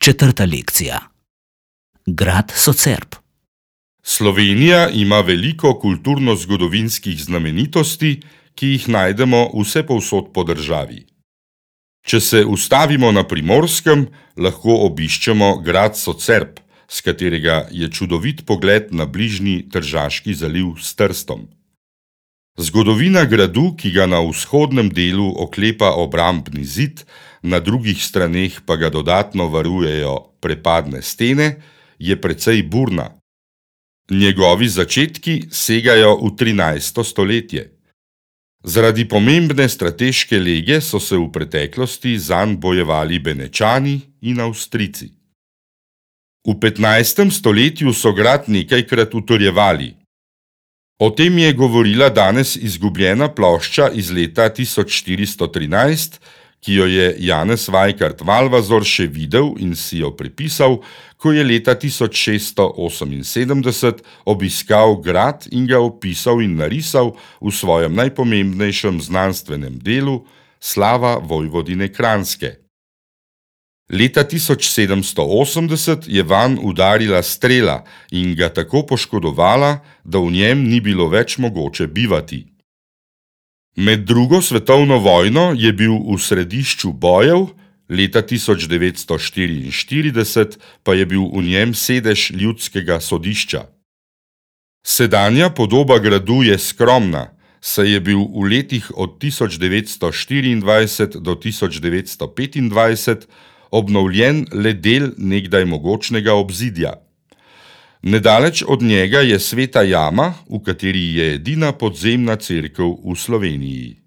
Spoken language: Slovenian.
Četrta lekcija. Grad Socerb. Slovenija ima veliko kulturno-zgodovinskih znamenitosti, ki jih najdemo vsepovsod po državi. Če se ustavimo na Primorskem, lahko obiščemo grad Socerb, s katerega je čudovit pogled na bližnji Tržaški zaliv s Trstom. Zgodovina gradu, ki ga na vzhodnem delu oklepa obrambni zid, na drugih straneh pa ga dodatno varujejo prepadne stene, je precej burna. Njegovi začetki segajo v 13. stoletje. Zaradi pomembne strateške lege so se v preteklosti zanj bojevali Benečani in Avstrijci. V 15. stoletju so grad nekajkrat utrjevali. O tem je govorila danes izgubljena plošča iz leta 1413, ki jo je Janez Vajkard Valvazor še videl in si jo prepisal, ko je leta 1678 obiskal grad in ga opisal in narisal v svojem najpomembnejšem znanstvenem delu Slava Vojvodine Kranjske. Leta 1780 je vanj udarila strela in ga tako poškodovala, da v njem ni bilo več mogoče bivati. Med drugo svetovno vojno je bil v središču bojev, leta 1944 pa je bil v njem sedež ljudskega sodišča. Sedanja podoba gradu je skromna, saj je bil v letih od 1924 do 1925 obnovljen le del nekdaj mogočnega obzidja. Nedaleč od njega je Sveta jama, v kateri je edina podzemna cerkev v Sloveniji.